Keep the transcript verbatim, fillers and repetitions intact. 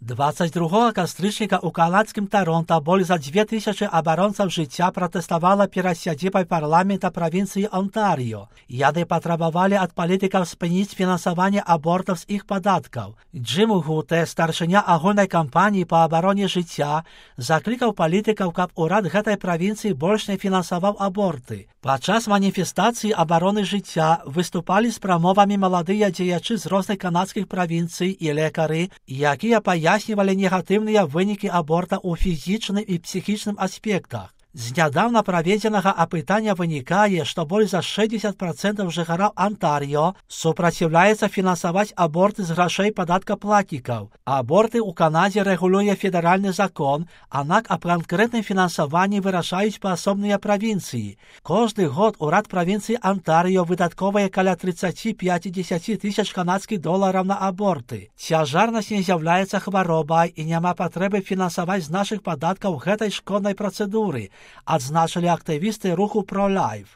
двадцять другого кастрычніка ў канадскім Таронта болей за дзве тысячы абаронцаў жыцця пратэставала перад сядзібай парламента правінцыі Онтарыё. Яны патрабавалі ад палітыкаў спыніць фінансаванне абортаў з іх падаткаў. Джим Гуте, старшыня агульнай кампаніі па абароне жыцця, заклікаў палітыкаў, каб урад гэтай правінцыі больш не фінансаваў аборты. Падчас маніфестацыі абароны жыцця выступалі з прамовамі маладыя дзеячы з розных канадскіх правінцый і лекары, якія паяснівалі негатыўныя вынікі аборта ў фізічным і псіхічным аспектах. З нядаўна праведзенага апытання вынікае, што болей за шэсцьдзесят процентаў жыхароў Онтарыё супраціўляецца фінансаваць аборты з грашэй падаткаплатнікаў. Аборты ў Канадзе рэгулюе федэральны закон, аднак аб канкрэтным фінансаванні вырашаюць паасобныя правінцыі. Кожны год урад правінцыі Онтарыё выдаткоўвае каля тридцать пять тысяч канадскіх долараў на аборты. Цяжарнасць не з'яўляецца хваробай і няма патрэбы фінансаваць з нашых падаткаў гэтай шкоднай працэдуры, адзначылі актывісты руху Pro-Life.